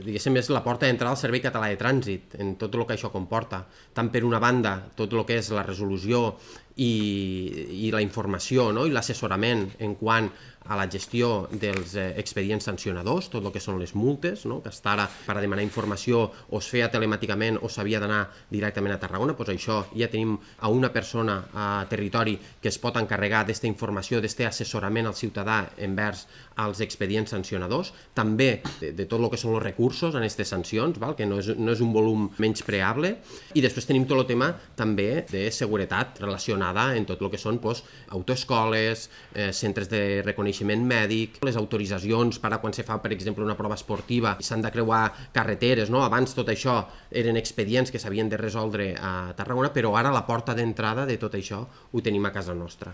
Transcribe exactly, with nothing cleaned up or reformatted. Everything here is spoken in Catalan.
Diguéssim, és la porta d'entrada al Servei Català de Trànsit, en tot el que això comporta. Tant per una banda, tot el que és la resolució i, i la informació, no? I l'assessorament en quant a la gestió dels eh, expedients sancionadors, tot el que són les multes, no? Que hasta ara per a demanar informació o es feia telemàticament o s'havia d'anar directament a Tarragona, doncs això ja tenim a una persona a territori que es pot encarregar d'esta informació, d'este assessorament al ciutadà envers als expedients sancionadors, també de, de tot el que són els recursos en aquestes sancions, val? Que no és, no és un volum menyspreable, i després tenim tot el tema també de seguretat relacionada en tot el que són doncs, autoescoles, eh, centres de reconeixement mèdic, les autoritzacions per a quan se fa, per exemple, una prova esportiva, s'han de creuar carreteres, no? Abans tot això eren expedients que s'havien de resoldre a Tarragona, però ara la porta d'entrada de tot això ho tenim a casa nostra.